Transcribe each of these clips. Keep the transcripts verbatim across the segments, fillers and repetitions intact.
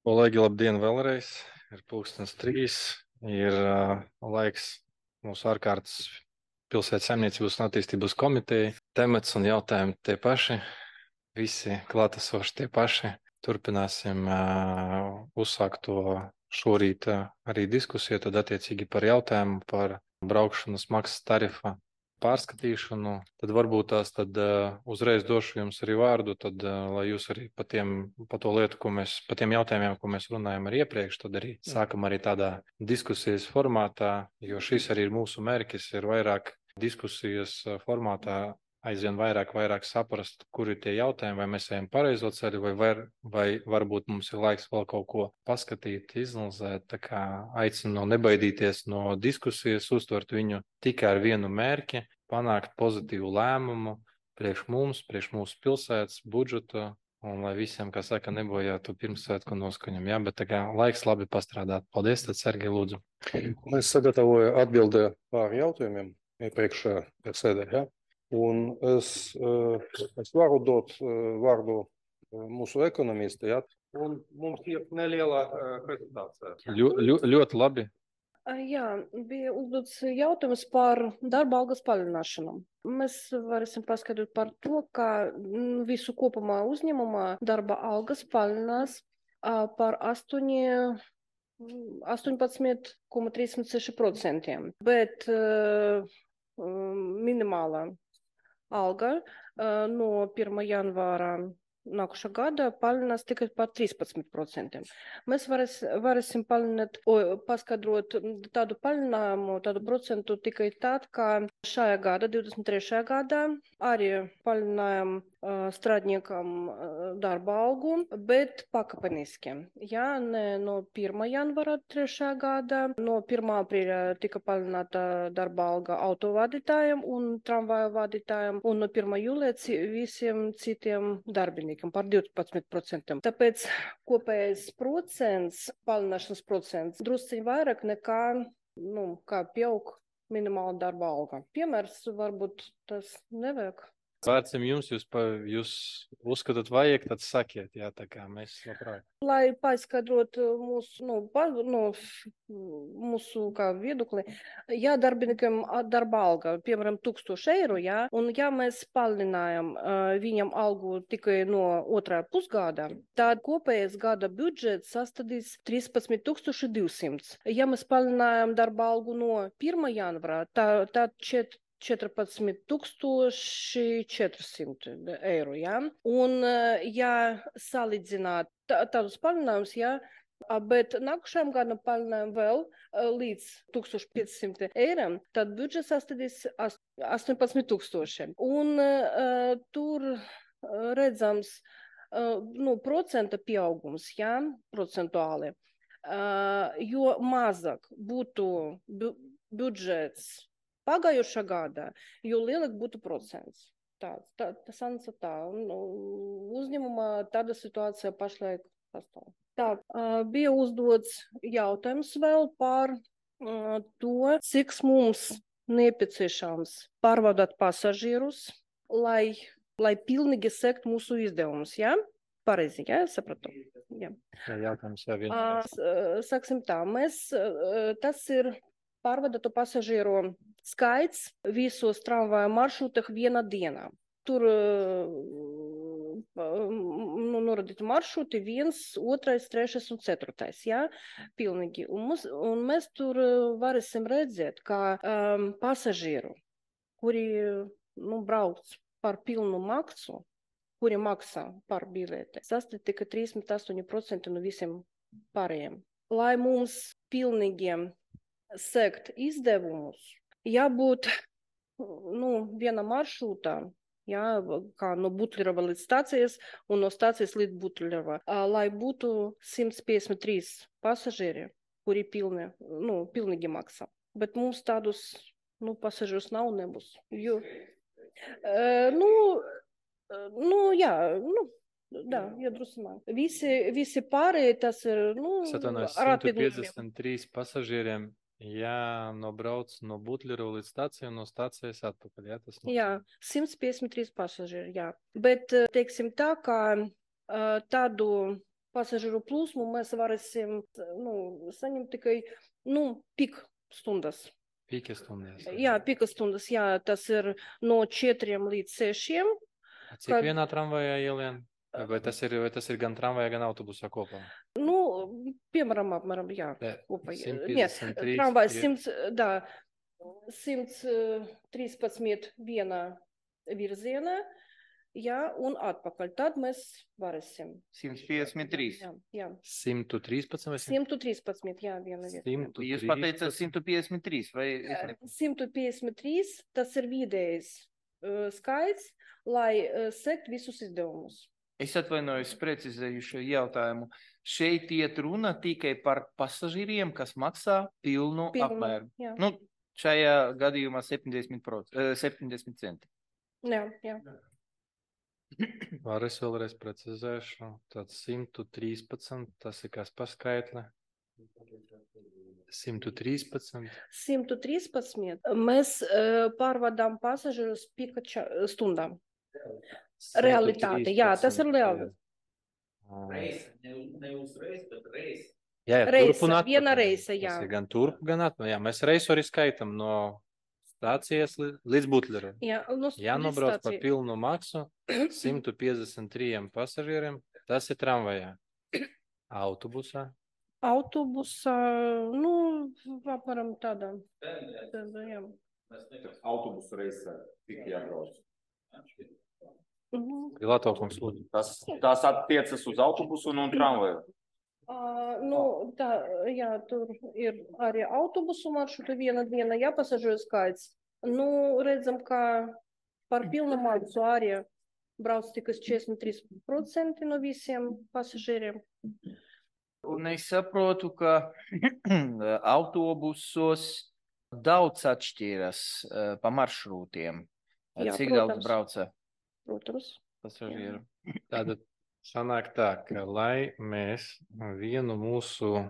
Kolēģi, labdien vēlreiz. Ir pulkstens trīs, ir uh, laiks mūsu ārkārtas pilsētas saimniecības un attīstības komiteja. Temats un jautājumi tie paši, visi klātesoši tie paši. Turpināsim uh, uzsākt to šorīt uh, arī diskusiju, tad attiecīgi par jautājumu par braukšanas maksas tarifa pārskatīšanu. Tad varbūt tās tad uh, uzreiz došu jums arī vārdu, tad, uh, lai jūs arī pa, tiem, pa to lietu, ko mēs, pa tiem jautājumiem, ko mēs runājam arī iepriekš, tad arī sākam arī tādā diskusijas formātā, jo šis arī ir mūsu mērķis, ir vairāk diskusijas formātā aizvien vairāk, vairāk saprast, kur ir tie jautājumi, vai mēs ejam pareizo ceļu, vai, var, vai varbūt mums ir laiks vēl kaut ko paskatīt, izanalizēt. Tā kā aicinu nebaidīties no diskusijas, uztvert viņu tikai ar vienu mērķi, panākt pozitīvu lēmumu priekš mums, priekš mūsu pilsētas budžeta, un lai visiem, kā saka, nebojātu pirmsvētku noskaņam. Jā, bet tā kā laiks labi pastrādāt. Paldies, tad Sergej, lūdzu. Es sagatavoju atbildē pār jautājumiem iepriekšējā sēdē, ja? Un es, es varu dot vārdu mūsu ekonomistai, ja? Un mums ir neliela prezentācija. Ļo, ļo, ļoti labi. Jā, bija uzdots jautājums par darba algas palielināšanu. Mēs varēsim paskaidrot par to, ka visu kopumā uzņēmumā darba algas palielinās par astoņpadsmit komats trīsdesmit seši procenti, bet uh, minimālā alga uh, no pirmā janvāra nākušā gada palielinās tikai par trīspadsmit procentiem. Mēs varēs, varēsim palielināt, paskaidrot tādu palielinājumu, tādu procentu tikai tad, ka šajā gada, divdesmit trešajā gadā, arī palielinājām uh, strādniekam uh, darba algu, bet pakāpeniski. Jā, ne no pirmā janvāra trešajā gada, no pirmā aprīļa tika palielināta darba alga autovadītājiem un tramvaju vadītājiem, un no pirmā jūlija visiem citiem darbiniekiem par divpadsmit procentiem. Tāpēc kopējais procents, palielināšanas procents, drusciņ vairāk nekā, nu, kā pieaug minimāla darba alga. Piemērs varbūt tas nevajag. Vārdsam jums, jūs, pa, jūs uzskatāt vajag, tad sakiet, jā, tā kā mēs labprāt. Lai paskaidrot mūsu, nu, pa, nu, mūsu kā viedokli, ja darbiniekam darba alga, piemēram, tūkstoši eiro, jā, un ja mēs palielinājam uh, viņam algu tikai no otrā pusgada, tad kopējais gada budžets sastādīs trīspadsmit tūkstoši divsimt. Ja mēs palielinājam darba algu no pirmā janvāra, tad tā, četrpadsmit tūkstoši četrsimt eiro, jā. Un, ja salīdzināt tādus palielinājumus, jā, bet nākušajam gadam palielinājam vēl līdz tūkstoš piecsimt eiro, tad budžets sastādīs astoņpadsmit tūkstoši. Un uh, tur redzams, uh, nu, procenta pieaugums, jā, procentuāli, uh, jo mazāk būtu bu budžets pagājušā gada, jo lielāk būtu procents. Tā, tā, tas ansā tā. Un, uzņēmumā tāda situācija pašlaik pastāv. Tā, bija uzdots jautājums vēl par to, cik mums nepieciešams pārvadāt pasažierus, lai, lai pilnīgi sekt mūsu izdevumus, jā? Pareizi, jā, sapratu. Jā. Jā, jautājums jau vienreiz. Sāksim tā, mēs, tas ir pārvadātu pasažieru skaits visos tramvaju maršrutах vienā dienā. Tur nu, norādīti maršruti viens, otrais, trešais un ceturtais, jā, pilnīgi. Un, mums, un mēs tur varēsim redzēt, ka um, pasažieru, kuri nu, brauc par pilnu maksu, kuri maksā par bileti, sastāv tikai trīsdesmit astoņi procenti no visiem pārējiem. Lai mums pilnīgiem sekt izdevumus, jābūt nu, viena maršrutā, jā, kā no Butlerova līdz stācijas un no stācijas līdz Butlerova, lai būtu simt piecdesmit trīs pasažieri, kuri pilni, nu, pilnīgi maksā. Bet mums tādus nu, pasažierus nav nebūs. Jo, uh, nu, nu, jā, nu, Da, iedrusināt. Visi, visi pārējie tas ir, nu, simt piecdesmit trīs pasažieriem jānobrauc no Butlerova līdz stācijai un no stācijas atpakaļ, jā, tas nozīmē. Jā, simt piecdesmit trīs pasažieri, jā. Bet, teiksim tā, kā tādu pasažieru plūsmu mēs varēsim, nu, saņemt tikai, nu, pik stundas. Pika stundas. Jā, pika stundas, jā, tas ir no četriem līdz sešiem. Cik kad... vienā tramvajā ielien? Vai tas ir, vai tas ir gan tramvajā, gan autobusā kopā? Nu, piemēram, apmēram, jā, jā kopā. simt piecdesmit trīs. Nē, tramvajs simts, da, simts trīspadsmit vienā virzienā. Jā, un atpakaļ. Tad mēs varēsim. simt piecdesmit trīs. Jā, jā. simt trīspadsmit vai simt trīspadsmit, jā, viena vieta. Jūs pateicat simt piecdesmit trīs vai? simt piecdesmit trīs, tas ir vidējs uh, skaits, lai uh, sekt visus izdevumus. Es atvainojos, precizēju šo jautājumu. Šeit iet runa tikai par pasažīriem, kas maksā pilnu, pilnu apmēru. Jā. Nu, šajā gadījumā septiņdesmit centi. Jā, jā. Var es vēlreiz precizēšu. Tad simt trīspadsmit, tas ir kas par skaitli? simt trīspadsmit. simt trīspadsmit. Mēs uh, pārvadām pasažierus pika stundām. Realitāte, jā, tas ir reāli. Reisa, ne, ne uz reis, bet reisa. Jā, reisa, viena reisa, jā. Tas ir gan turp, gan atpakaļ. Jā, mēs reisu arī skaitam no stācijas līdz Butleru. Jā, no jānobrauc par pilnu maksu simt piecdesmit trīs pasažieriem. Tas ir tramvajā. Autobusā. Autobusā, nu, apmēram tādā. tādā jā. Autobusu reisē tik jābrauc. Pilātokungs, lūdzu. Tas, tas attiecas uz autobusu un tramvaju. Uh, nu, tā, jā, tur ir arī autobusu maršrutu viena diena, jā, pasažieru skaits. Nu, redzam, ka par pilnu maksu arī brauc tikai četrdesmit trīs procenti no visiem pasažieriem. Un es saprotu, ka autobusos daudz atšķiras uh, pa maršrūtiem. Jā, cik protams. daudz brauca Protams. pasažieru? Tātad sanāk tā, ka lai mēs vienu mūsu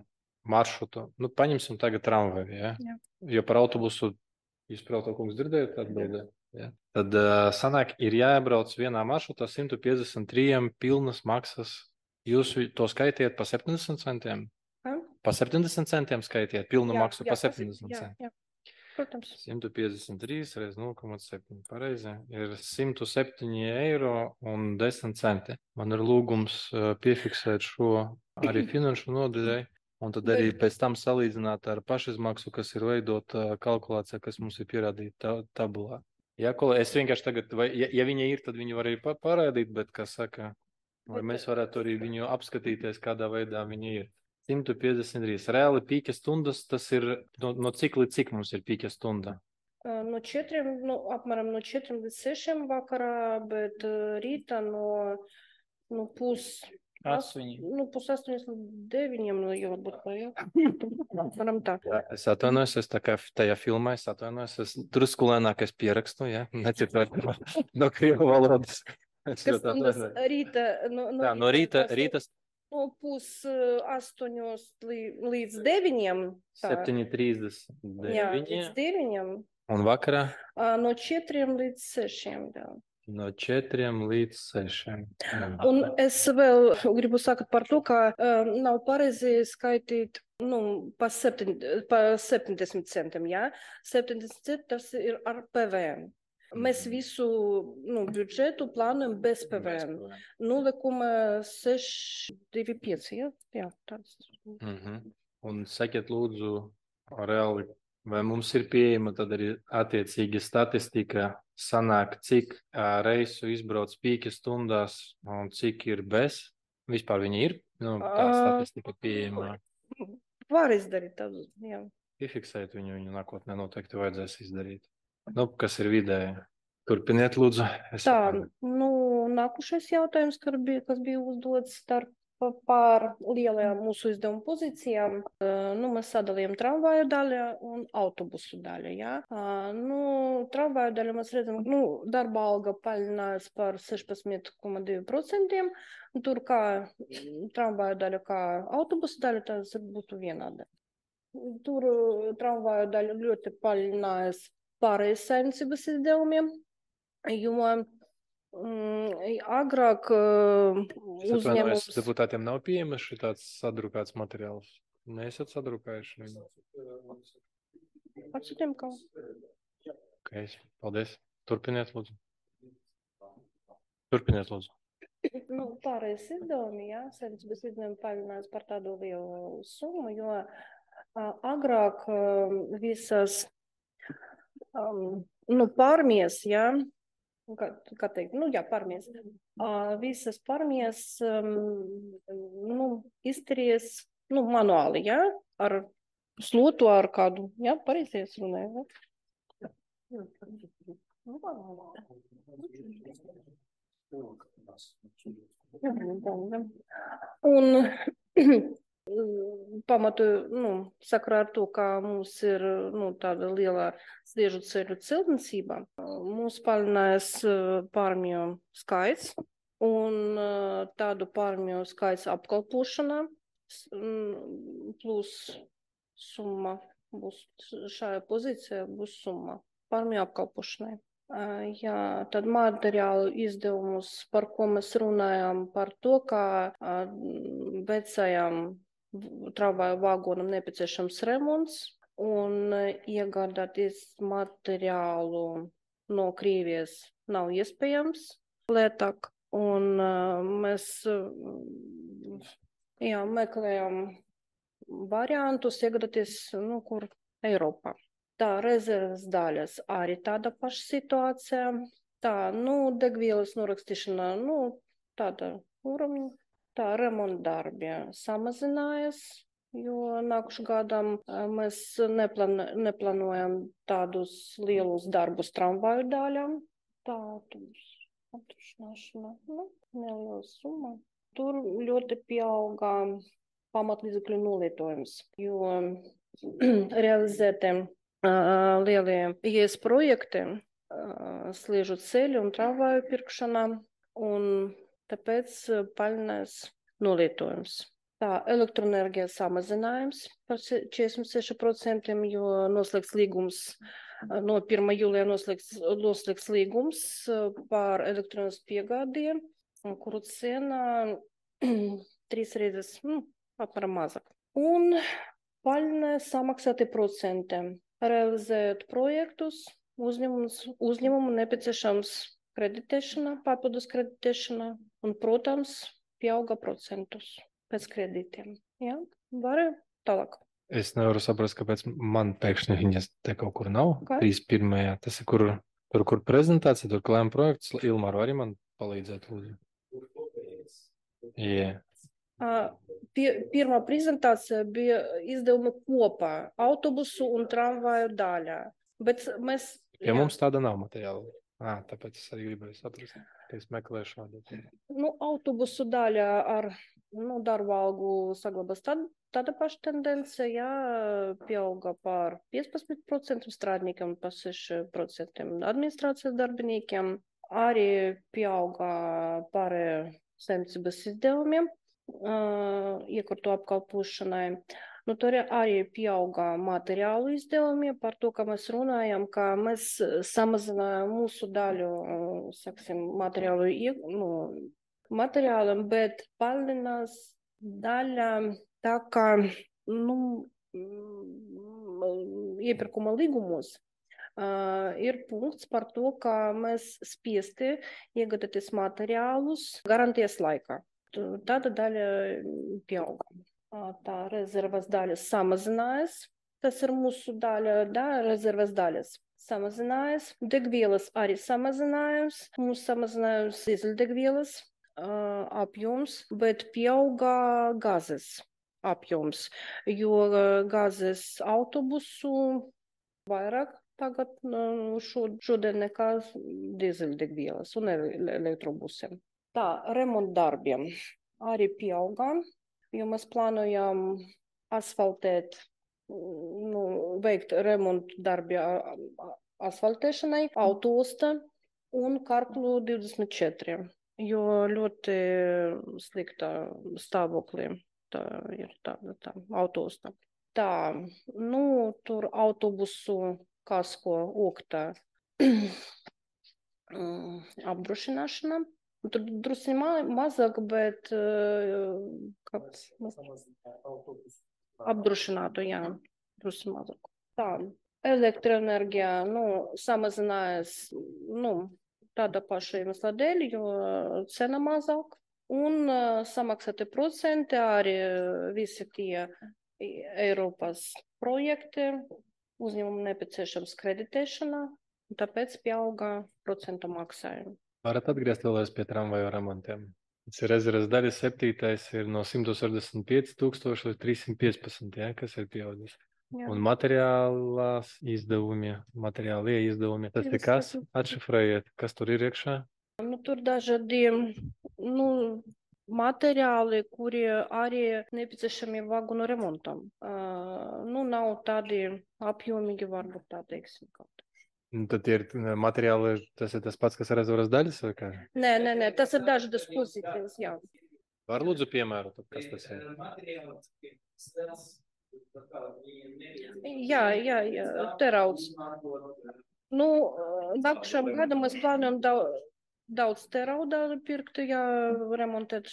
maršrutu, nu, paņemsim tagad tramvaju, ja? Jā. Jo par autobusu, jūs Pilātokungs dzirdējat atbildē, ja? Tad uh, sanāk, ir jāiebrauc vienā maršrutā simt piecdesmit trīs pilnas maksas. Jūs to skaitiet pa septiņdesmit centiem? Ha? Pa septiņdesmit centiem skaitiet pilnu Jā, maksu jā, pa septiņdesmit jā, centiem. jā. Protams. simt piecdesmit trīs reiz nulle komats septiņi pareizi ir simt septiņi eiro un desmit centi. Man ir lūgums uh, piefiksēt šo arī finanšu nodaļai un tad arī pēc tam salīdzināt ar pašizmaksu, kas ir veidota uh, kalkulācijā, kas mums ir pierādīta ta tabulā. Ja, es vienkārši tagad, vai, ja, ja viņa ir, tad viņu var arī parādīt, bet, kas saka, vai mēs varētu arī viņu apskatīties, kādā veidā viņa ir. simt piecdesmit trīs. Reāli pīka stundas, tas ir no, no cik līdz cik mums ir pīka stunda? No četriem, nu, apmēram no četriem līdz sešiem vakarā, bet rītā no, no pus... Astoņi. Nu, pus astoņas līdz deviņiem, nu, jau būt kā, jā. Varam tā. Jā, es atvainojos, es tā kā tajā filmā, es atvainojos, es drusku lēnāk es pierakstu, jā, necitvērt no krievu valodas. Es Kas ļoti stundas atvainojos. rīta? No, no Tā, no rīta, tas- rītas No pus astoņos līdz deviņiem. tā. septiņi trīsdesmit Jā, deviņi līdz deviņiem. un vakarā Ā, No četriem līdz sešiem, jā. no četriem līdz sešiem. Un es vēl gribu sakot par to, ka uh, nav pareizi skaitīt nu, pa, septiņ, pa septiņdesmit centiem, jā. septiņdesmit centi tas ir ar P V N. Mēs visu nu, budžetu plānojam bez P V N. nulle komats seši divi pieci, jā? Jā, tāds. Mhm. Un sakiet lūdzu, reāli, vai mums ir pieejama tad arī attiecīgi statistika, sanāk, cik ā, reisu izbrauc pīka stundās un cik ir bez? Vispār viņa ir? Nu, tā Ā. statistika pieejama. Var izdarīt tādu, jā. Piefiksēt viņu, viņu nākotnē noteikti vajadzēs izdarīt. Nu, kas ir vidēji? Turpiniet, lūdzu. Es Tā, saprotu. nu, nākušais jautājums, kas bija, kas bija uzdots starp pār lielajām mūsu izdevumu pozīcijām. Uh, Nu, mēs sadalījām tramvaju daļu un autobusu daļu, jā. Uh, Nu, tramvaju daļu mēs redzam, nu, darba alga paļinājās par sešpadsmit komats divi procenti. Tur kā mm, tramvaju daļa, kā autobusu daļa, tas būtu vienāda. Tur uh, tramvaju daļa ļoti paļinājās pārējais saimniecības izdevumiem, jo Mm, agrāk uh, Es atvainojos, uzņēmums. deputātiem nav pieejamas šitāds sadrukāts materiāls. Neesat sadrukājuši? Atsūtiem kā? Ok, paldies. Turpiniet, lūdzu. Turpiniet, lūdzu. Nu, pārējais izdevumi, jā, saimniecības izdevumi palielinās par tādu lielu summu, jo uh, agrāk uh, visas um, nu, pārmies, jā, kā, kā teikt, nu, jā, pārmies, uh, visas pārmies um, nu, izturies, nu, manuāli, jā, ar slotu, ar kādu, jā, pareizies runāju, jā. Un pamatu, nu, sakarā ar to, kā mums ir, nu, tāda liela sliežu ceļu celtniecība, mums palielinājās pārmju skaits un tādu pārmju skaits apkalpošanā, plus summa būs šajā pozīcijā, būs summa pārmju apkalpošanai. Jā, tad materiālu izdevumus, par ko mēs runājam, par to, kā vecajam tramvaju vagonam nepieciešams remonts un iegādāties materiālu no Krievijas nav iespējams lētāk. Un mēs jā, meklējam variantus iegādāties, nu, kur Eiropā. Tā, rezerves daļas arī tāda paša situācija. Tā, nu, degvielas norakstīšana, nu, tāda uramņa. Tā, remonta darbi samazinājās, jo nākušu gadam mēs neplan, neplānojam tādus lielus darbus tramvaju daļām. Tā, tur apdrošināšana, nu, neliela summa. Tur ļoti pieauga pamatlīdzekļu nolietojums, jo realizētiem Uh, lielie I E S projekti, uh, sliežu ceļu un tramvaju pirkšanā, un tāpēc uh, palielinās nolietojums. Tā, elektroenerģija samazinājums par četrdesmit seši procenti, jo noslēgts līgums, uh, no pirmā jūlijā noslēgts, noslēgts līgums uh, par elektronisku piegādi, kuru cena trīs reizes, nu, apmēram mazāk. Un palielinās samaksāti procenti. Realizējot projektus, uzņēmumu nepieciešams kreditēšana, papildus kreditēšana un, protams, pieauga procentus pēc kredītiem. Jā, var tālāk. Es nevaru saprast, kāpēc man pēkšņi viņas te kaut kur nav. Kā? trīs pirmajā. Tas ir kur, tur, kur prezentācija, tur klājuma projekts. Ilmāru arī man palīdzēt, lūdzu. Jā. Uh, pie, pirmā prezentācija bija izdevuma kopā autobusu un tramvaju daļā. Bet mēs... Pie jā. Mums tāda nav materiāla. Ā, tāpēc es arī gribēju saprast, ka es meklēšu šādu. Nu, autobusu daļā ar nu, darba algu saglabās tad, tāda paša tendence, jā, pieauga par piecpadsmit procentiem strādniekiem, par seši procenti administrācijas darbiniekiem. Arī pieauga par saimniecības izdevumiem. Uh, iekārtu apkalpošanai. Nu, tur arī pieauga materiālu izdevumi par to, ka mēs runājam, ka mēs samazinājām mūsu daļu, saksim, materiālu, nu, materiālam, bet palielinās daļa tā kā, nu, iepirkuma līgumos. Uh, ir punkts par to, ka mēs spiesti iegādāties materiālus garantijas laikā. Tāda daļa pieauga. Tā rezervas daļas samazinājās. Tas ir mūsu daļa, da, rezervas daļas samazinājās. Degvielas arī samazinājās. Mums samazinājās dīzeļdegvielas uh, apjoms, bet pieauga gāzes apjoms, jo uh, gāzes autobusu vairāk tagad uh, šod, šodien nekā dīzeļdegvielas un elektrobusiem. Tā, remonta darbiem arī pieaugām, jo mēs plānojam asfaltēt, nu, veikt remontu darbi asfaltēšanai, autoosta un Karklu divdesmit četri, jo ļoti slikta stāvoklī tā ir tāda tā, autoosta. Tā, nu, tur autobusu kasko oktā mm, apdrošināšana. Tur drusku ma mazāk, bet uh, kāds apdrošinātu, jā, drusku mazāk. Tā, elektroenerģija, nu, samazinājās, nu, tāda paša iemesla dēļ, jo cena mazāk. Un uh, samaksāti procenti arī visi tie Eiropas projekti, uzņēmumu nepieciešams kreditēšana, un tāpēc pieauga procentu maksājumi. Varat atgriezt vēlreiz pie tramvaju remontiem. Tas ir rezerves daļa septītais ir no simt sešdesmit pieci tūkstoši līdz trīssimt piecpadsmit, ja, kas ir pieaudzis. Jā. Un materiālās izdevumi, materiālie izdevumi, tas ir kas? Atšifrējiet, kas tur ir iekšā? Nu, tur dažādi, nu, materiāli, kuri arī nepieciešami vagonu remontam. Uh, nu, nav tādi apjomīgi, varbūt tā teiksim kaut. Un tad ir materiāli, tas ir tas pats, kas rezerves daļas, vai kā? Nē, nē, nē, tas ir dažādas pozīcijas, jā. Var lūdzu piemēru, tad kas tas ir? Jā, jā, jā, terauds. Nu, nākušam gadam mēs plānojam daudz, daudz terauda pirkt, ja remontēt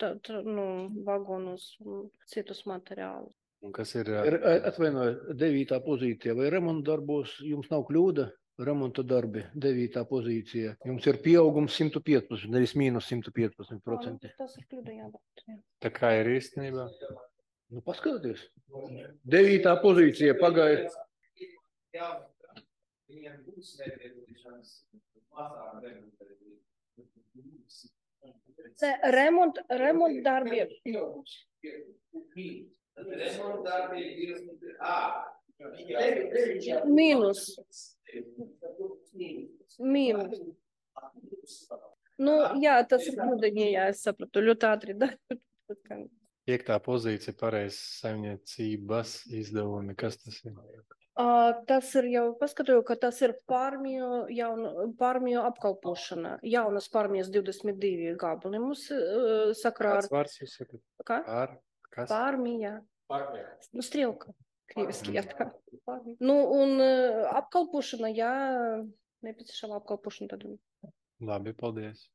tā, tā, nu, vagonus un citus materiālus. Un kas ir? Atvainojiet, devītā pozīcija. Vai remonta darbos jums nav kļūda? Remonta darbi, devītā pozīcija. Jums ir pieaugums simt piecpadsmit, nevis mīnus simt piecpadsmit procenti. Tas ir kļūda, jā, bet, jā. Tā kā ir īstenībā? Nu, paskatieties. Devītā pozīcija pagāja. Remont, remont darbi. Remont darbi ir A. Mīnus. Mīnus. Nu, jā, tas ir kļūdaņi, jā, es sapratu, ļoti ātri. Piektā pozīcija pareizs saimniecības izdevumi. Kas tas ir? Uh, tas ir jau, paskatoju, ka tas ir pārmiju, jaunu, pārmiju apkalpošana. Jaunas pārmijas divdesmit divi gabali mums uh, sakrā ar... Kāds vārds jūs sakat? Kā? Pār, kas? Pārmija. Pārmija. Nu, strelka. Krieviski, jā, tā. Pārmija. Nu, un uh, apkalpošana, jā, nepieciešama apkalpošana tad. Labi, paldies.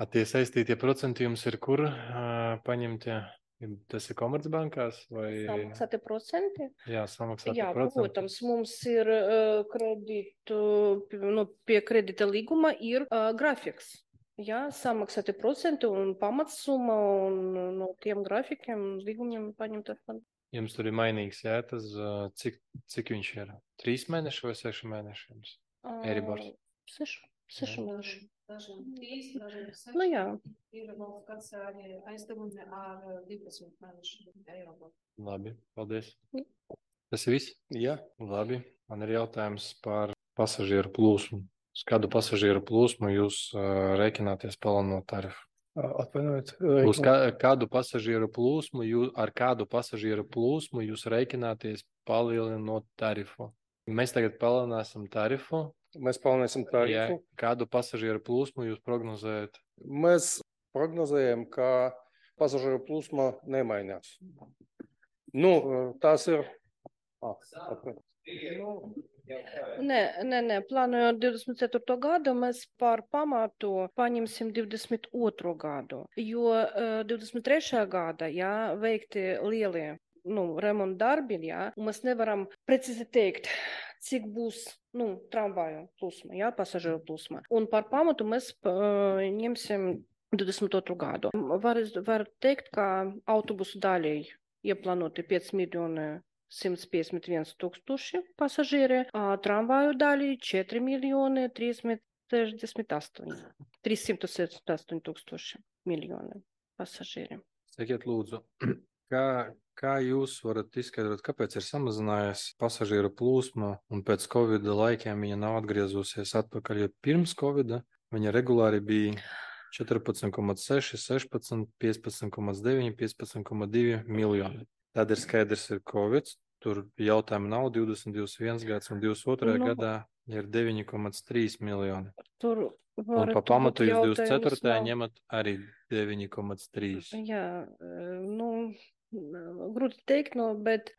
A tie saistītie procenti jums ir kur uh, paņemtie? Tas ir Komercbankās vai? Samaksāti procenti? Jā, samaksāti Jā, procenti. protams, mums ir uh, kreditu, nu, pie kredita līguma ir uh, grafiks. Jā, samaksāti procenti un pamatsumma un no tiem grafikiem līgumiem paņemt atpakaļ. Jums tur ir mainīgs, jā, tas, uh, cik, cik viņš ir? Trīs mēneši vai seši mēneši jums? Uh, Eribors. Seši, seši mēneši. Dažiem trīs, dažiem seši. Nu jā. Ir vēl kāds arī aizdevumi ar divdesmit mēnešu eiro. Labi, paldies. Jā. Tas ir viss? Jā. Labi, man ir jautājums par pasažieru plūsmu. Uz kādu pasažieru plūsmu jūs uh, rēķināties palielinot tarifu? Atvainojiet. Uz kā, kādu pasažieru plūsmu, jūs, ar kādu pasažieru plūsmu jūs rēķināties palielinot tarifu? Mēs tagad palielināsim tarifu. Mēs palielināsim tarifu. Jā, kādu pasažieru plūsmu jūs prognozējat? Mēs prognozējam, ka pasažieru plūsma nemainās. Nu, tās ir... Ah, Nē, nē, nē, plānojot divdesmit ceturto gadu, mēs par pamatu paņemsim divdesmit otro gadu, jo uh, divdesmit trešā gada, jā, veikti lielie, nu, remonta darbi, jā, un mēs nevaram precīzi teikt, cik būs, nu, tramvaju plūsma, jā, pasažieru plūsma. Un par pamatu mēs uh, ņemsim divdesmit otro gadu. Var, var teikt, ka autobusu daļai ieplānoti pieci miljoni simt piecdesmit viens tūkstoši pasažieri, a tramvaju daļai četri miljoni trīssimt sešdesmit astoņi. trīssimt sešdesmit astoņi tūkstoši miljoni pasažieri. Sakiet, lūdzu, kā, kā jūs varat izskaidrot, kāpēc ir samazinājies pasažieru plūsma un pēc Covida laikiem viņa nav atgriezusies atpakaļ, jo pirms Covida viņa regulāri bija četrpadsmit komats seši, sešpadsmit, piecpadsmit komats deviņi, piecpadsmit komats divi miljoni. Tad ir skaidrs, ir Covid, tur jautājumu nav, divdesmit, divdesmit viens gads un divdesmit otrajā Nu. gadā ir deviņi komats trīs miljoni. Tur Un pa pamatu jūs divdesmit ceturtajā ņemat arī deviņi komats trīs. Jā, nu, grūti teikt, no, bet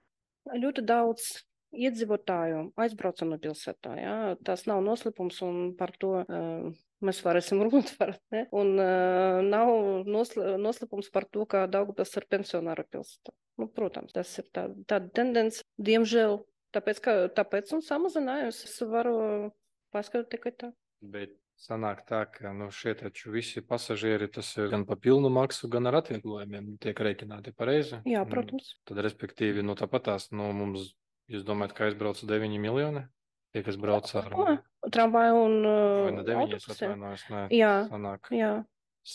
ļoti daudz iedzīvotāju aizbraucam no pilsētā. Ja? Tas nav noslēpums un par to uh, mēs varēsim runāt. Var, ne? Un uh, nav nosl noslēpums par to, ka Daugavpils ir pensionāru pilsēta. Nu, protams, tas ir tā, tāda tendence, diemžēl, tāpēc, ka, tāpēc un samazinājums. Es varu paskatīt tikai tā. Bet sanāk tā, ka nu, šie taču visi pasažieri, tas ir gan pa pilnu maksu, gan ar atvieglojumiem tiek rēķināti pareizi. Jā, protams. Un tad, respektīvi, nu tāpat tās, nu mums, jūs domājat, ka aizbrauc deviņi miljoni? Tie, kas brauc ar... O, tramvaju un uh, vai ne deviņi, es autobusiem. atvainojos, ne, Jā, sanāk jā,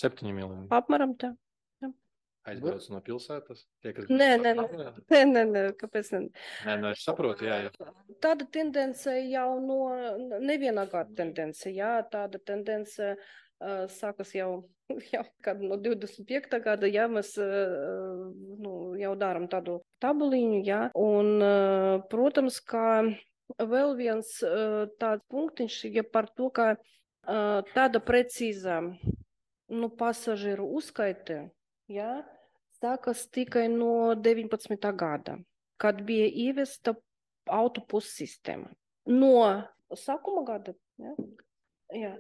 septiņi miljoni. apmēram tā. Aizbrauc no pilsētas? Tie, kas Nē, nē, brauc nē, ar- nē, nē, nē, kāpēc ne? Nē, nu es saprotu, jā, jā. Tāda tendence jau no nevienā gada tendence, jā, tāda tendence uh, sākas jau, jau kad no divdesmit piektā gada, jā, mēs uh, nu, jau darām tādu tabuliņu, jā, un, uh, protams, ka vēl viens uh, tāds punktiņš, ja par to, ka uh, tāda precīza, nu, pasažieru uzskaite, jā, sākas tikai no deviņpadsmitā gada, kad bija ievesta autobusu sistēma. No sākuma gada, ja? Jā,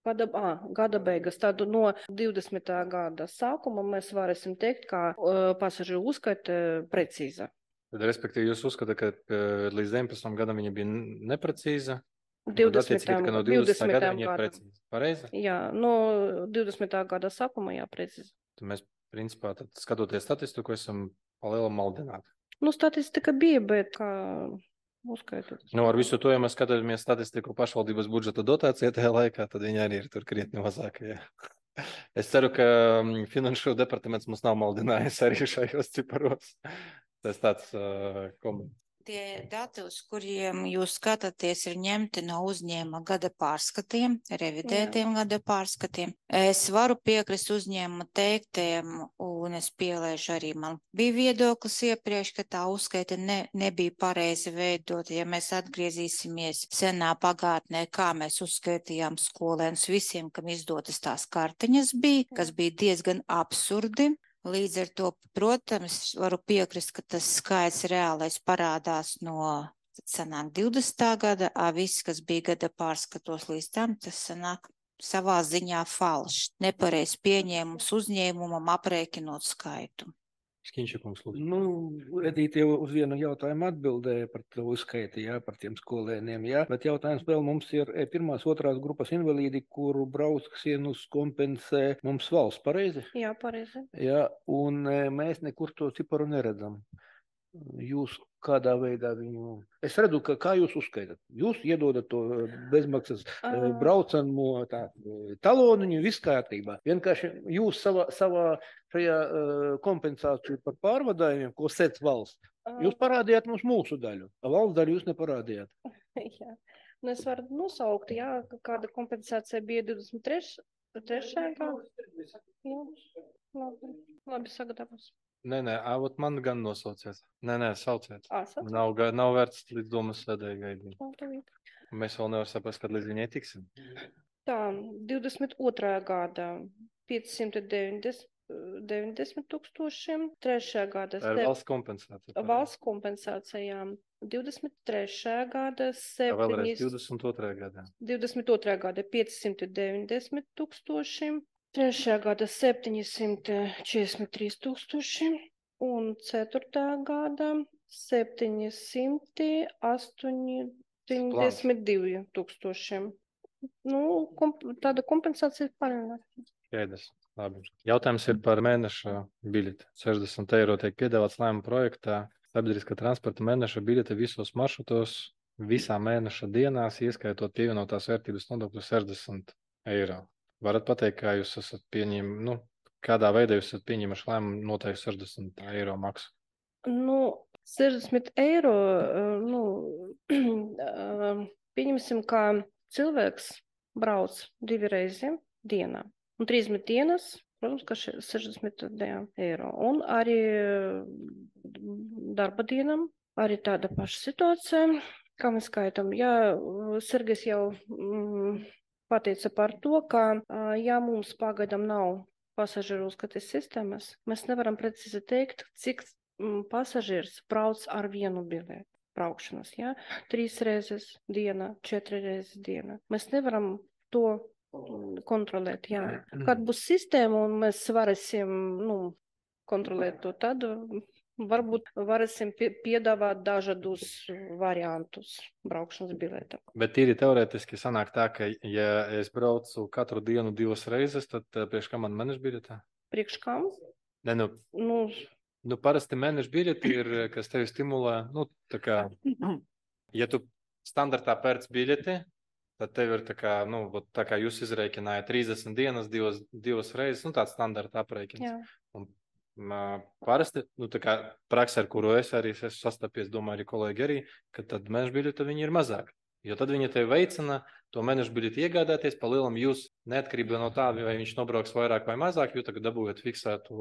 gada, à, gada beigas, tad no divdesmitā gada sākuma mēs varēsim teikt, ka uh, pasažieru uzskaita precīza. Tad, respektīvi, jūs uzskatāt, ka uh, līdz deviņpadsmitam gadam viņa bija neprecīza? divdesmitā Ka no divdesmitā gada viņa ir precīza. Pareizi? Jā, no divdesmitā gada sākuma, jā, precīzi. Tad mēs, principā, tad, skatoties statistiku, esam palielam maldināti. Nu, statistika bija, bet kā uzskaitot. Nu, ar visu to, ja mēs skatāmies statistiku pašvaldības budžeta dotācija tajā laikā, tad viņi arī ir tur krietni mazākie. Es ceru, ka mm, finanšu departaments mums nav maldinājis arī šajos ciparos. Tas tāds uh, komentārs. Tie dati, uz kuriem jūs skatāties, ir ņemti no uzņēmuma gada pārskatiem, revidētiem Jā. Gada pārskatiem. Es varu piekrist uzņēmuma teiktiem, un es pielēžu arī, man bija viedoklis iepriekš, ka tā uzskaita ne, nebija pareizi veidot. Ja mēs atgriezīsimies senā pagātnē, kā mēs uzskaitījām skolēnus visiem, kam izdotas tās kartiņas bija, kas bija diezgan absurdi. Līdz ar to, protams, varu piekrist, ka tas skaits reālais parādās no sanāk divdesmitā gada, a viss, kas bija gada pārskatos līdz tam, tas sanāk savā ziņā falšs, nepareiz pieņēmums uzņēmumam aprēķinot skaitu. Skinčakums, lūdzu. Nu, Edīte jau uz vienu jautājumu atbildēja par to uzskaiti, jā, par tiem skolēniem, jā. Bet jautājums vēl mums ir pirmās, otrās grupas invalīdi, kuru braucienus kompensē mums valsts, pareizi? Jā, pareizi. Jā, un mēs nekur to ciparu neredzam. Jūs kādā veidā viņu... Es redzu, ka kā jūs uzskaitat. Jūs iedodat to bezmaksas uh. braucamo tā, taloniņu, viss kārtībā. Vienkārši jūs savā, savā šajā uh, kompensāciju par pārvadājumiem, ko sec valsts, uh. jūs parādījāt mums mūsu daļu. A valsts daļu jūs neparādījāt. Jā. Nu, es varu nosaukt, jā, kāda kompensācija bija divdesmit trešajā gadā. Jā, labi, labi sagatavos. Nē, nē, āvot man gan nosauciet. Nē, nē, sauciet. Ā, sauciet. Nav, ga- nav vērts līdz domas sēdēji gaidīt. Labi. Mēs vēl nevar saprast, kad līdz viņai tiksim. Tā, divdesmit otrajā gadā piecsimt deviņdesmit tūkstošiem, trešajā gadā Tā ir valsts kompensācija. valsts kompensācijām, divdesmit trešajā gadā Tā vēlreiz septiņas, divdesmit otrajā gadā. divdesmit otrajā gadā piecsimt deviņdesmit tūkstošiem, trešajā gadā septiņsimt četrdesmit trīs tūkstoši un ceturtajā gadā septiņsimt astoņdesmit divi tūkstošiem. Nu, komp tāda kompensācija palielināta. Skaidrs. Labi. Jautājums ir par mēneša biļeti. sešdesmit eiro tiek piedāvāts lēmuma projektā. Sabiedriskā transporta mēneša biļete visos maršrutos visā mēneša dienās, ieskaitot pievienotās vērtības nodokļu sešdesmit eiro. Varat pateikt, kā jūs esat pieņem, nu, kādā veidā jūs esat pieņemuši lēmumu noteikt sešdesmit eiro maksu? Nu, sešdesmit eiro, nu, pieņemsim, kā cilvēks brauc divi reizi dienā. Un trīsdesmit dienas, protams, ka sešdesmit eiro. Un arī darba dienam, arī tāda paša situācija, kā mēs skaitam. Jā, Sergejs jau mm, pateica par to, ka, ja mums pagaidām nav pasažieru uzskates sistēmas, mēs nevaram precīzi teikt, cik mm, pasažieris brauc ar vienu biļeti. braukšanas, ja? Trīs reizes dienā, četri reizes dienā. Mēs nevaram to kontrolēt, jā. Kad būs sistēma un mēs varēsim, nu, kontrolēt to, tad varbūt varēsim piedāvāt dažādus variantus braukšanas biļetēm. Bet tīri teorētiski sanāk tā, ka ja es braucu katru dienu divas reizes, tad priekš kā man mēneša biļetē? Priekš kam? Ne, nu, nu, nu parasti mēneša biļeti ir, kas tevi stimulē, nu, tā kā, ja tu standartā pērc biļeti, tad tev ir tā kā, nu, tā kā jūs izreikinājāt trīsdesmit dienas, divas, divas reizes, nu, tāds standarta aprēķins. Un uh, parasti, nu, tā kā praksē, ar kuru es arī esmu sastapies, domāju, arī kolēģi arī, ka tad mēneša biļete viņi ir mazāk. Jo tad viņi tevi veicina to mēneša biļeti iegādāties, pa lielam jūs neatkarībā no tā, vai viņš nobrauks vairāk vai mazāk, jo tagad dabūjat fiksētu.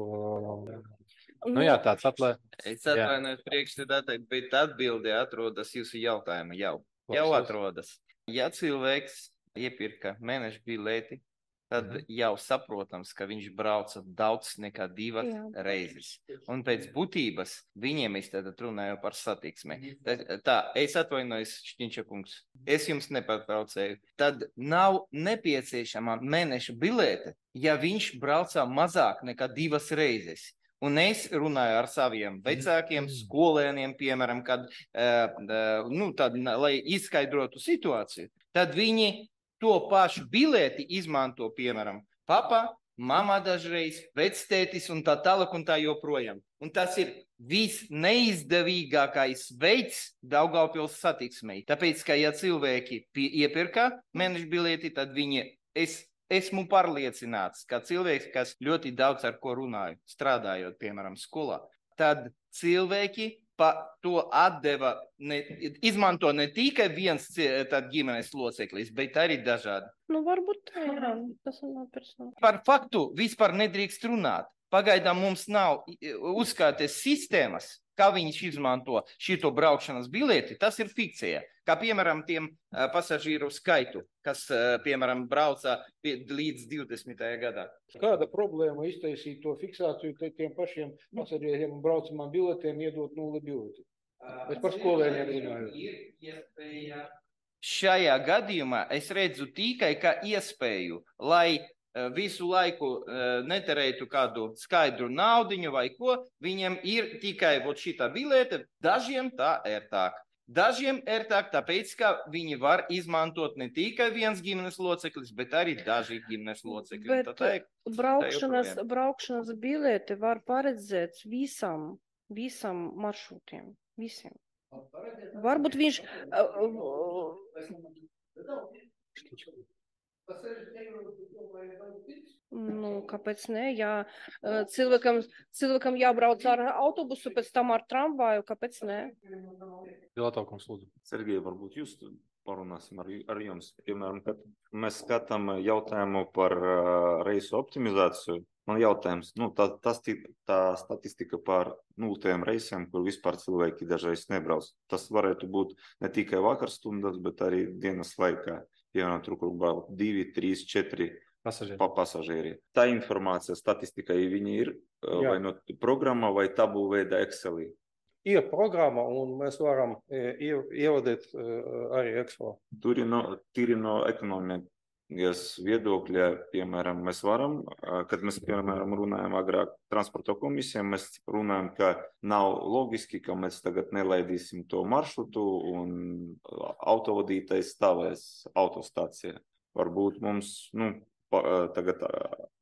Nu jā, tāds atlē. Es atvainojos priekšsēdētāji, bet atbildi atrodas jūsu jautājuma jau. Jau atrodas. Ja cilvēks iepirka mēneša biļeti, tad mm-hmm. jau saprotams, ka viņš brauca daudz nekā divas Jā. reizes. Un pēc būtības viņiem es tad runāju par satiksmi. Tā, tā es atvainojos, Šķiņša kungs, es jums nepārtraucēju. Tad nav nepieciešama mēneša biļete, ja viņš brauca mazāk nekā divas reizes. Un es runāju ar saviem vecākiem, skolēniem, piemēram, kad, uh, uh, nu, tad, lai izskaidrotu situāciju, tad viņi to pašu bileti izmanto, piemēram, papa, mamma dažreiz, vectētis un tā tālāk un tā joprojām. Un tas ir visneizdevīgākais veids Daugavpils satiksmei. Tāpēc, ka ja cilvēki iepirka mēneša bileti, tad viņi, es Esmu pārliecināts, ka cilvēks, kas ļoti daudz ar ko runāju, strādājot, piemēram, skolā, tad cilvēki pa to atdeva, ne, izmanto ne tikai viens tad ģimenes loceklis, bet arī dažādi. Nu, varbūt tā ir, tas nav personāli. Par faktu vispār nedrīkst runāt. Pagaidām mums nav uzskaites sistēmas, kā viņš izmanto šito braukšanas bileti, tas ir fikcija. Kā piemēram tiem uh, pasažīru skaitu, kas, uh, piemēram, brauca pie, līdz divdesmitajā gadā. Kāda problēma iztaisīt to fiksāciju tiem pašiem pasažieriem un braucamām biletēm iedot nulli bileti? Es par skolēniem runāju. Šajā gadījumā es redzu tikai kā iespēju, lai uh, visu laiku uh, neterētu kādu skaidru naudiņu vai ko, viņiem ir tikai vot šitā bilete, dažiem tā ērtāk. Dažiem ērtāk, tāpēc, ka viņi var izmantot ne tikai viens ģimenes loceklis, bet arī daži ģimenes locekļi. Bet tā ir, braukšanas, tā braukšanas bileti var paredzēt visam, visam maršrutiem, visiem. Varbūt viņš... Nu, kāpēc ne? Ja cilvēkam, cilvēkam jābrauc ar autobusu, pēc tam ar tramvaju, kāpēc ne? Pilotokums, lūdzu. Sergej, varbūt jūs parunāsim ar, ar jums. Piemēram, kad mēs skatām jautājumu par uh, reisu optimizāciju, man jautājums, nu, tā, tas, tā statistika par nultajiem reisiem, kur vispār cilvēki dažreiz nebrauc. Tas varētu būt ne tikai vakarstundas, bet arī dienas laikā. Piemēram, tur, kur brauc divi, trīs, četri pasažieri. Pa pasažieri. Tā informācija, statistika, viņi ir Jā. vai no programma, vai tabu veida Excelī? Ir programma, un mēs varam ievadīt arī Excel. Tur ir no, tīri no ekonomijas viedokļa, piemēram, mēs varam, kad mēs, piemēram, runājam agrāk transporta komisijām, mēs runājam, ka nav logiski, ka mēs tagad nelaidīsim to maršrutu un autovadītais stāvēs autostācijā. Varbūt mums, nu, pa, tagad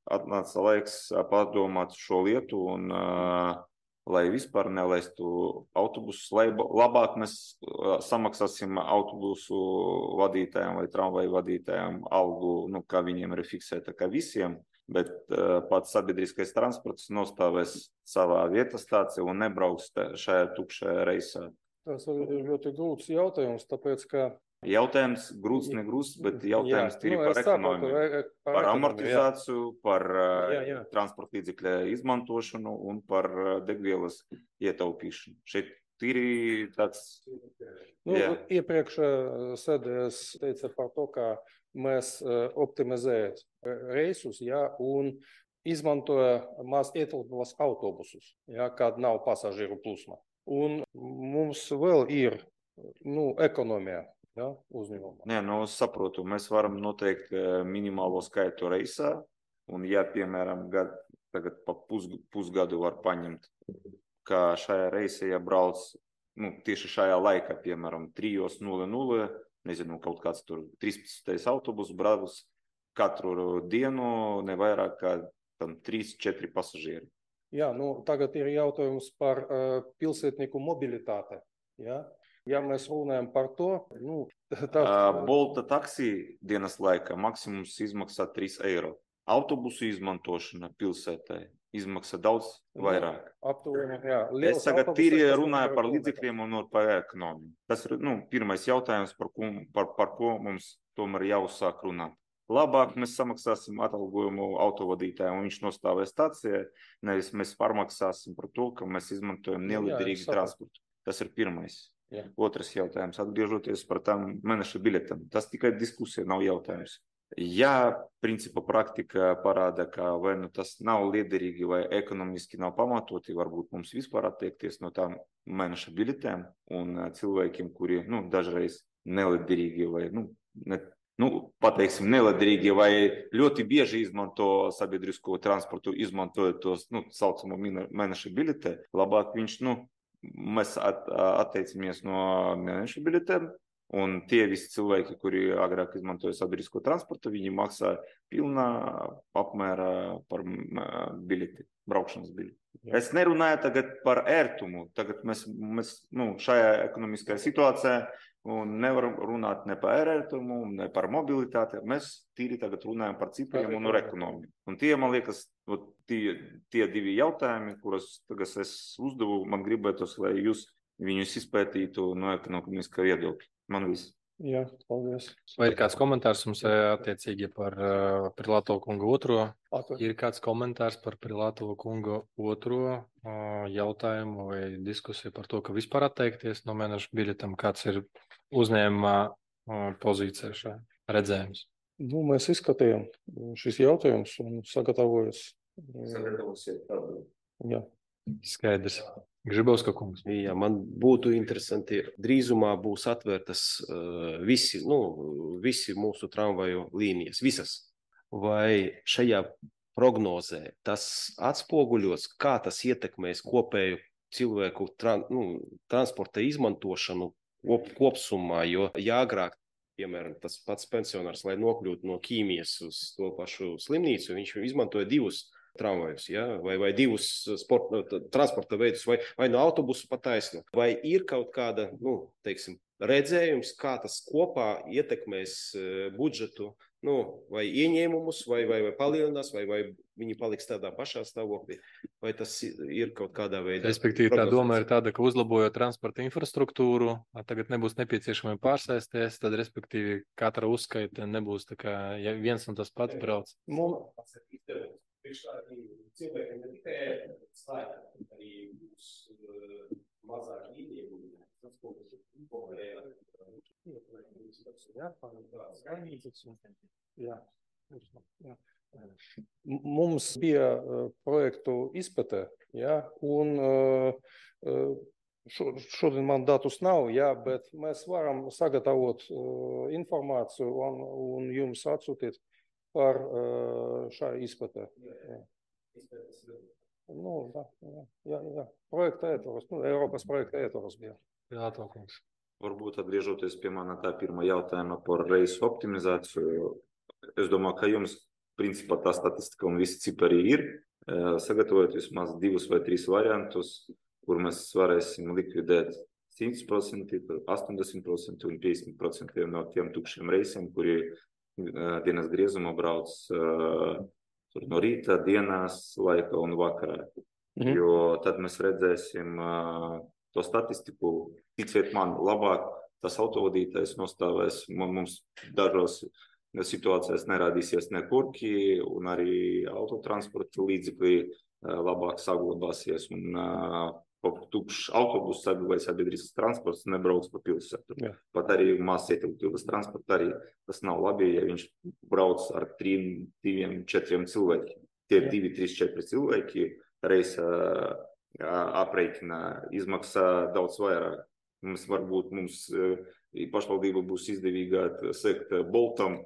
atnāca laiks padomāt šo lietu un uh, lai vispār nelaistu autobusus, lai labāk mēs samaksāsim autobusu vadītājiem vai tramvaju vadītājiem algu, nu, kā viņiem ir fiksēta, kā visiem, bet uh, pats sabiedriskais transports nostāvēs savā vietas stācijā un nebrauks šajā tukšajā reisā. Tas ir ļoti grūts jautājums, tāpēc, ka Jautājums grūts, negrūts, bet jautājums ir nu, par ekonomiku, par, par amortizāciju, jā. par jā, jā. transporta līdzekļa izmantošanu un par degvielas ietaupīšanu. Šeit ir tāds... Nu, iepriekš sēdēs teica par to, ka mēs optimizējam reisus, jā, un izmantoja maz ietilpos autobusus, jā, kad nav pasažieru plūsma. Un mums vēl ir nu, ekonomijā, ja, uzņēmumā. Nē, nu, es saprotu, mēs varam noteikt minimālo skaitu reisā, un ja, piemēram, gad, tagad pa pus, pusgadu var paņemt, ka šajā reisē, ja brauc, nu, tieši šajā laikā, piemēram, trīs nulle nulle, nezinu, kaut kāds tur trīspadsmitais autobus brauc katru dienu, nevairāk kā tam trīs četri pasažieri. Jā, nu, tagad ir jautājums par uh, pilsētnieku mobilitāti. Ja? Ja mēs runājam par to, nu, tā... Uh, Bolta taksī dienas laikā maksimums izmaksā trīs eiro. Autobusu izmantošana pilsētai izmaksā daudz vairāk. Aptuveni, jā. Es tagad tīri runāju par līdzekļiem un par ekonomiju. Tas ir, nu, pirmais jautājums, par ko, par, par ko mums tomēr jāuzsāk runāt. Labāk mēs samaksāsim atalgojumu autovadītājiem, un viņš nostāvēs stācijā, nevis mēs pārmaksāsim par to, ka mēs izmantojam neliederīgu transportu. Tas ir pirmais. Jā. Otrs jautājums, atgriežoties par tām mēneša biļetēm. Tas tikai diskusija, nav jautājums. Ja principa praktika parāda, ka vai nu tas nav liederīgi vai ekonomiski nav pamatoti, varbūt mums vispār attiekties no tām mēneša biļetēm un cilvēkiem, kuri, nu, dažreiz neliederīgi vai, nu, ne, nu, pateiksim, neliederīgi vai ļoti bieži izmanto sabiedrisko transportu, izmantojot tos, nu, saucamo mēneša biļetē, labāk viņš, nu, mēs at, atteicamies no mēneša biļetēm, un tie visi cilvēki, kuri agrāk izmantoja sabiedrisko transportu, viņi maksā pilnā apmērā par biļeti, braukšanas biļeti. Jā. Es nerunāju tagad par ērtumu, tagad mēs, mēs nu, šajā ekonomiskajā situācijā un nevaram runāt ne par ērtumu, ne par mobilitāti. Mēs tīri tagad runājam par cipriem un ar ekonomiju. Un tie, man liekas, tie, tie divi jautājumi, kurus tagad es uzdevu, man gribētos, lai jūs viņus izpētītu no ekonomiskā viedokļa. Man viss. Jā, paldies. Vai ir kāds komentārs mums attiecīgi par uh, Prilātovu kungu otro? Atver. Ir kāds komentārs par Prilātovu kungu otro uh, jautājumu vai diskusiju par to, ka vispār atteikties no mēneša biļetēm? Kāds ir uzņēmumā uh, pozīcija šā redzējums? Nu, mēs izskatījām šis jautājums un sagatavojas. Sagatavosiet tādu. Jā. Skaidrs. Grzybowska kungs. Jā, man būtu interesanti, drīzumā būs atvērtas uh, visi, nu, visi mūsu tramvaju līnijas, visas. Vai šajā prognozē tas atspoguļos, kā tas ietekmēs kopēju cilvēku tra, nu, transporta izmantošanu kop, kopsumā, jo jāgrāk, piemēram, tas pats pensionārs, lai nokļūtu no Ķīmijas uz to pašu slimnīcu, viņš izmantoja divus tramvajus, ja? vai, vai divus sporta, transporta veidus, vai, vai no autobusu pa taisnu. Vai ir kaut kāda, nu, teiksim, redzējums, kā tas kopā ietekmēs budžetu, nu, vai ieņēmumus, vai, vai, vai palielinās, vai, vai viņi paliks tādā pašā stāvoklī, vai tas ir kaut kādā veidā. Respektīvi, tā doma ir tāda, ka uzlabojot transporta infrastruktūru, tagad nebūs nepieciešami pārsēsties, tad, respektīvi, katra uzskaita nebūs tā kā ja viens un tas pats brauc. Mums cilvēkiem ne tikai slēgta, arī būs mazāk ieņēmumi. Tas, ko mēs informējām, jā, jā. Mums bija projektu izpēte, jā, un šodien man datus nav, jā, bet mēs varam sagatavot informāciju un, un jums atsūtīt par šā izpētē. Jā. Nu, jā, jā, jā. Projekta ietvaros, nu, Eiropas projekta ietvaros bija. Jā, kungs. Varbūt atgriežoties pie manā tā pirmā jautājuma par reisu optimizāciju. Es domāju, ka jums, principā, tā statistika un visi cipari ir. Sagatavojot vismaz divus vai trīs variantus, kur mēs varēsim likvidēt simt procenti, astoņdesmit procenti un piecdesmit procenti no tiem tukšiem reisiem, kuri dienas griezumā brauc uh, no rīta, dienās, laika un vakarā. Mm. Jo tad mēs redzēsim uh, to statistiku, ticiet man, labāk tas autovadītājs nostāvēs, mums dažos situācijās nerādīsies ne kurki, un arī autotransporta līdzekļi uh, labāk saglabāsies, un uh, tukšs autobus vai sabiedrisks transports nebrauc pa pilsētu. Jā. Pat arī maz ietilpības transporta arī tas nav labi, ja viņš brauc ar trim, diviem, četriem cilvēkiem. Tie Jā. divi, trīs, četri cilvēki reisa aprēķina izmaksā daudz vairāk Mums varbūt mums pašvaldība būs izdevīgāk sekt Boltam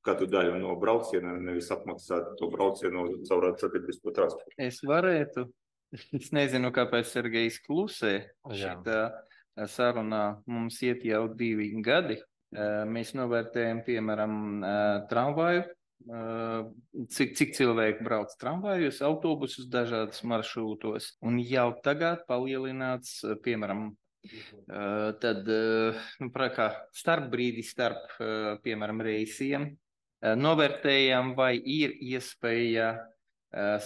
katru daļu no brauciena, nevis apmaksāt to braucienu caur sabiedrisko transportu. Es varētu. Es nezinu, kāpēc Sergejs klusē. Šitā sarunā mums iet jau divi gadi. Mēs novērtējam, piemēram, tramvaju, cik, cik cilvēki brauc tramvajos, autobusus dažādas maršrūtos. Un jau tagad palielināts, piemēram, tad nu, kā starpbrīdi starp, piemēram, reisiem. Novērtējam, vai ir iespēja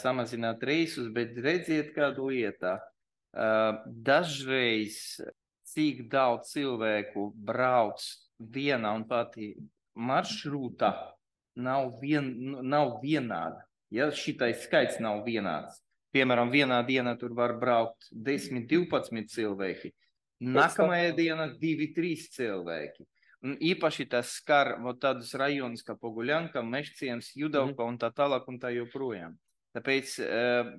samazināt reisus, bet redziet kādu lietā. Dažreiz, cik daudz cilvēku brauc vienā un pati maršrūtā, nav, vien, nav vienāda. Ja šitais skaits nav vienāds. Piemēram, vienā dienā tur var braukt desmit, divpadsmit cilvēki. Nākamajā dienā divi, trīs cilvēki. Un īpaši tas skar tādus rajonus kā Poguļanka, Mežciems, Judauka un tā tālāk un tā joprojām. Tāpēc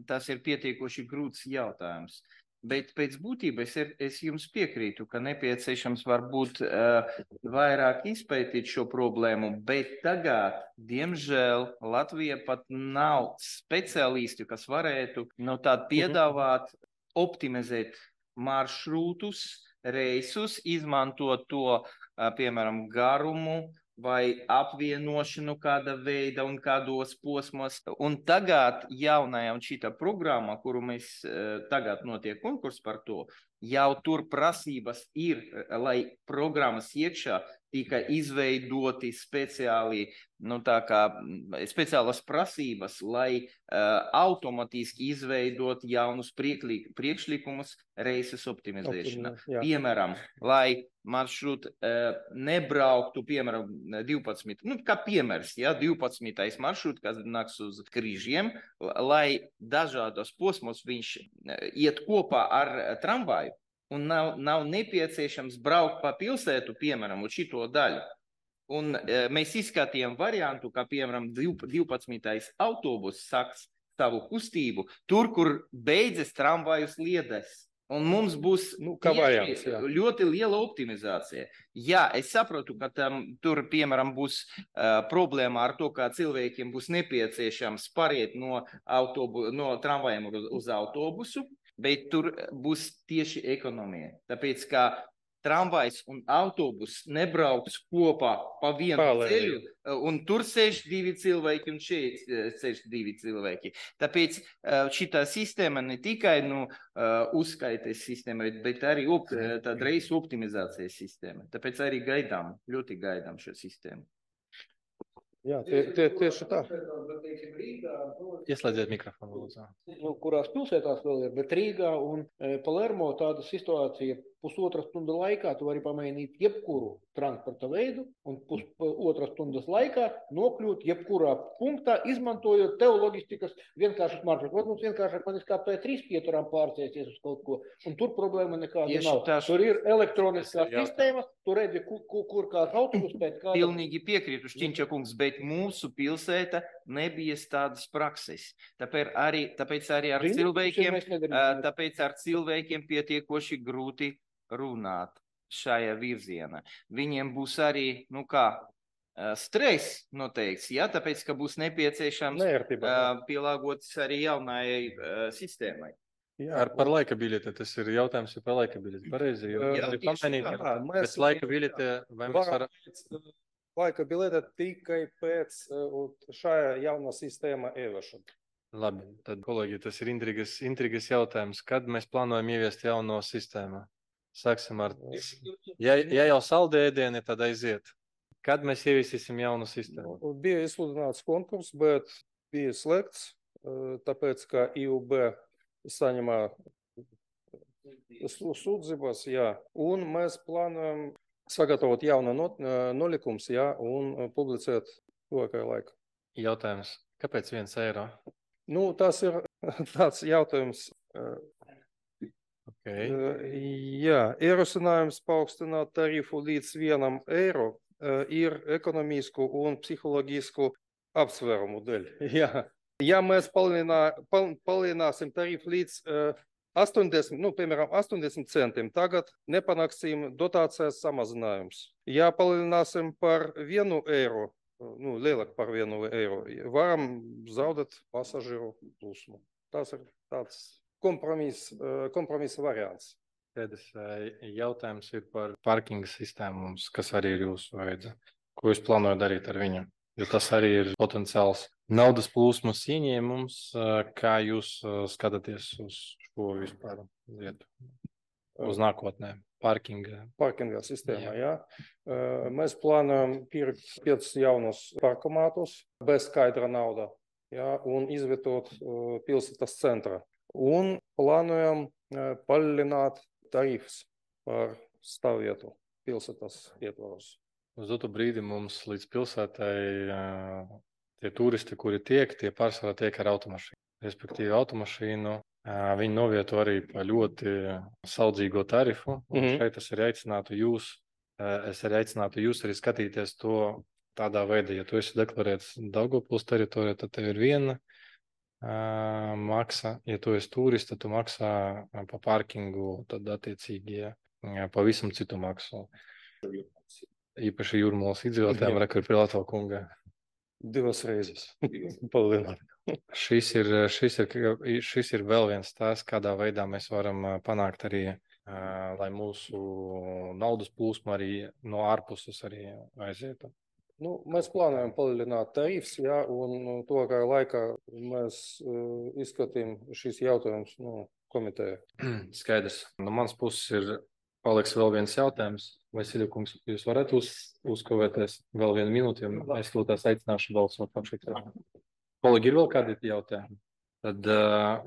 tas ir pietiekoši grūts jautājums. Bet pēc būtības es, es jums piekrītu, ka nepieciešams varbūt vairāk izpētīt šo problēmu, bet tagad, diemžēl, Latvija pat nav speciālisti, kas varētu no tādu piedāvāt, optimizēt maršrūtus, reisus, izmantot to, piemēram, garumu vai apvienošanu kāda veida un kādos posmos. Un tagad jaunajā un šitā programma, kuru mēs tagad notiek konkurs par to, jau tur prasības ir, lai programmas iekšā tika izveidoti speciāli, nu tā kā speciālas prasības, lai uh, automatiski izveidot jaunus priekšlikumus reises optimizēšanā. Piemēram, lai maršrūt uh, nebrauktu, piemēram, divpadsmit, nu kā piemērs, ja, divpadsmitais maršrūt, kas nāks uz Krīžiem, lai dažādos posmos viņš iet kopā ar tramvaju. Un nav, nav nepieciešams braukt pa pilsētu, piemēram, uz šito daļu. Un e, mēs izskatījām variantu, kā, piemēram, divpadsmitais autobus sāks savu kustību tur, kur beidzas tramvaju sliedes. Un mums būs nu, variants, ļoti liela optimizācija. Jā, es saprotu, ka tam, tur, piemēram, būs uh, problēma ar to, ka cilvēkiem būs nepieciešams pāriet no, autobu, no tramvajiem uz, uz autobusu. Bet tur būs tieši ekonomija. Tāpēc, ka tramvajs un autobus nebrauks kopā pa vienu Palēļ. ceļu, un tur sēž divi cilvēki un šeit sēž divi cilvēki. Tāpēc šitā sistēma ne tikai nu, uzskaites sistēma, bet arī op, tāda reisu optimizācijas sistēma. Tāpēc arī gaidām, ļoti gaidām šo sistēmu. Jā, tie, tie, tieši tā. Ieslēdziet mikrofonu, lūdzu. Nu, kurās pilsētās vēl ir, bet Rīgā un e, Palermo tāda situācija pusotras stundas laikā tu vari pamainīt jebkuru transporta veidu un pusotras stundas laikā nokļūt jebkurā punktā, izmantojot tev loģistikas vienkāršas maršrutus. Mums vienkāršāk man kā pēc trīs pieturām pārcēsies uz kaut ko, un tur problēma nekāda Tieši nav. Tās... Tur ir elektroniskā sistēma, tu redzi, kur, kur, kur kāds autobus pēc kāda. Pilnīgi piekrītu, Šķiņča kungs, bet mūsu pilsēta nebija tādas prakses. Tāpēc arī, tāpēc arī ar Zini, cilvēkiem, tāpēc ar cilvēkiem pietiekoši grūti runāt šajā virzienā. Viņiem būs arī, nu kā, stress noteikts, ja? Tāpēc, ka būs nepieciešams Nērtībā, uh, pielāgoties arī jaunajai uh, sistēmai. Jā, ar par laika biļeti, tas ir jautājums par laika biļeti. Pareizi, jo jā, ir pamanīt, jā, bet laika biļeti vai mēs varam... Laika biļete tikai pēc uh, šajā jaunā sistēma ieviešana. Labi, tad, kolēģi, tas ir intrigas, intrigas jautājums. Kad mēs plānojam ieviest jauno sistēmu? Sāksim ar... Ja, ja jau saldēdieni, tad aiziet. Kad mēs ieviesīsim jaunu sistēmu? Bija izsludināts konkurss, bet bija slēgts, tāpēc, ka I U B saņemā sūdzības, jā. Un mēs plānojam sagatavot jaunu nolikums, jā, un publicēt tuvākajā laikā. Jautājums, kāpēc viens eiro? Nu, tas ir tāds jautājums. Okay. Jā, ierosinājums paaugstināt tarifu līdz vienam eiro ir ekonomisku un psiholoģisku apsvērumu dēļ. Jā. Ja mēs palielinā, pal, palielināsim tarifu līdz uh, astoņdesmit, nu, piemēram, astoņdesmit centiem tagad nepanāksim dotācijas samazinājums. Ja palielināsim par vienu eiro, nu, lielāk par vienu eiro, varam zaudēt pasažieru plūsmu. Tas ir tāds kompromiss, kompromisa variants. Pēdējais jautājums ir par parkinga sistēmu mums, kas arī ir jūsu vajadza. Ko jūs plānojat darīt ar viņu? Jo tas arī ir potenciāls naudas plūsmas ieņēmums. Kā jūs skatāties uz šo vispār lietu? Uz nākotnē? Parkinga. Parkinga sistēmā, jā. jā. Mēs plānojam pirkt piecus jaunus parkomātus bez skaidra nauda, jā, un izvietot pilsētas centrā. Un plānojam palielināt tarifus par stāvvietu pilsētas ietvaros. Uz dotu brīdi mums līdz pilsētai tie turisti, kuri tiek, tie pārsvarā tiek ar automašīnu. Respektīvi automašīnu viņi novieto arī pa ļoti saudzīgo tarifu. Un mm-hmm. šeit es arī aicinātu jūs, es arī aicinātu jūs arī skatīties to tādā veidā. Ja tu esi deklarēts Daugavpils teritorijā, tad tev ir viena uh, maksa. Ja tu esi turists, tad tu maksā pa parkingu, tad attiecīgi ja, pavisam citu maksu. Īpaši Jūrmalas iedzīvotājiem, rekord pie Latvijas kunga. Divas reizes. šis, ir, šis, ir, šis ir vēl viens tās, kādā veidā mēs varam panākt arī, lai mūsu naudas plūsma arī no ārpuses arī aizietu. Nu, mēs plānojam palielināt tarifs, jā, un to kā laikā mēs uh, izskatījām šīs jautājumus nu, komitejā. Skaidrs. No manas puses ir paliks vēl viens jautājums. Vasilija kungs, jūs varat uz, uzkavēties vēl vienu minūti, jo es lūtās aicināšu balsot. Kolēģi, ir vēl kādi jautājumi? Tad uh,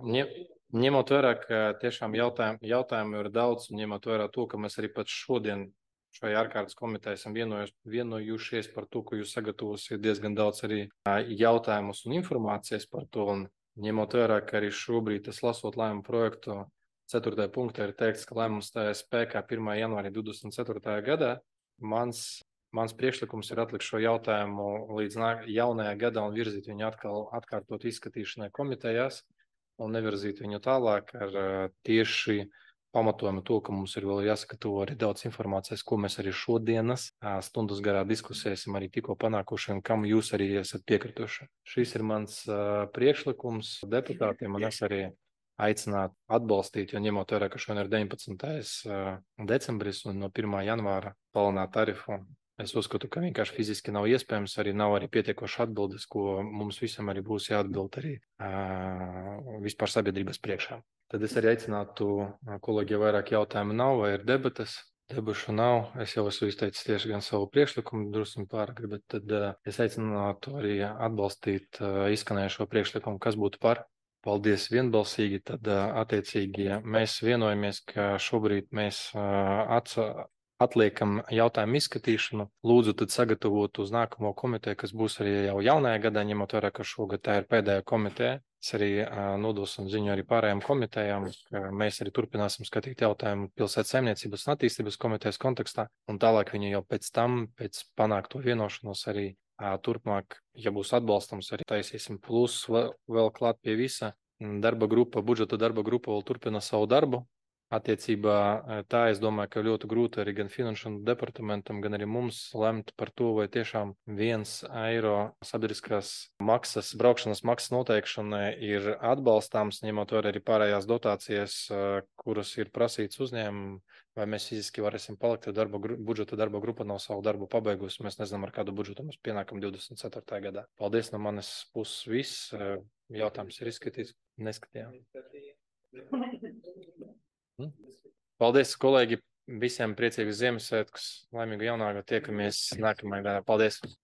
ņemot vērā, ka tiešām jautājumu, jautājumu ir daudz, un ņemot vērā to, ka mēs arī pat šodien šajā ārkārtas komitejā esam vienojušies par to, ko jūs sagatavosiet diezgan daudz arī jautājumus un informācijas par to, un ņemot vērā, ka arī šobrīd es lasot lēmumu projektu, ceturtajā punktā ir teikts, ka lēmums stājās spēkā pirmā janvārī divdesmit ceturtajā gadā. Mans, mans priekšlikums ir atlikt šo jautājumu līdz jaunajā gadā un virzīt viņu atkal atkārtot izskatīšanai komitejās un nevirzīt viņu tālāk ar tieši pamatojumu to, ka mums ir vēl jāsagatavo arī daudz informācijas, ko mēs arī šodienas stundas garā diskusēsim arī tikko panākuši un kam jūs arī esat piekrituši. Šis ir mans priekšlikums deputātiem un es arī aicināt atbalstīt, jo ņemot vērā, ka šodien ir deviņpadsmitais decembris un no pirmā janvāra palielināt tarifu. Es uzskatu, ka vienkārši fiziski nav iespējams, arī nav arī pietiekoši atbildes, ko mums visam arī būs jāatbild arī uh, vispār sabiedrības priekšā. Tad es arī aicinātu, kolēģi, ja vairāk jautājumu nav vai ir debates. Debašu nav, es jau esmu izteicis tieši gan savu priekšlikumu, drusku pārāk, bet tad uh, es aicinātu arī atbalstīt uh, izskanējušo priekšlikumu, kas būtu par. Paldies vienbalsīgi, tad attiecīgi mēs vienojamies, ka šobrīd mēs atsa, atliekam jautājumu izskatīšanu. Lūdzu tad sagatavot uz nākamo komiteju, kas būs arī jau jaunajā gadā, ņemot vērā, ka šogad tā ir pēdējā komiteja. Es arī nodosim ziņu arī pārējām komitejām, ka mēs arī turpināsim skatīt jautājumu pilsētas saimniecības un attīstības komitejas kontekstā, un tālāk viņi jau pēc tam, pēc panākto vienošanos arī turpmāk, ja būs atbalstams, arī taisīsim plus vēl, vēl klāt pie visa. Darba grupa, budžeta darba grupa vēl turpina savu darbu. Attiecībā tā, es domāju, ka ļoti grūti arī gan finanšu departamentam, gan arī mums lemt par to, vai tiešām viens eiro sabiedriskās maksas, braukšanas maksas noteikšanai ir atbalstāms, ņemot vērā arī pārējās dotācijas, kuras ir prasīts uzņēmumu, vai mēs fiziski varēsim palikt, ja darba, budžeta darba grupa nav savu darbu pabeigusi. Mēs nezinām, ar kādu budžetu mēs pienākam divdesmit ceturtajā gadā. Paldies no manas puses viss. Jautājums ir izskatīts. Neskatījām. Paldies, kolēģi, visiem priecīgus Ziemassvētkus, laimīgu jaunāku, tiekamies nākamajā gadā. Paldies!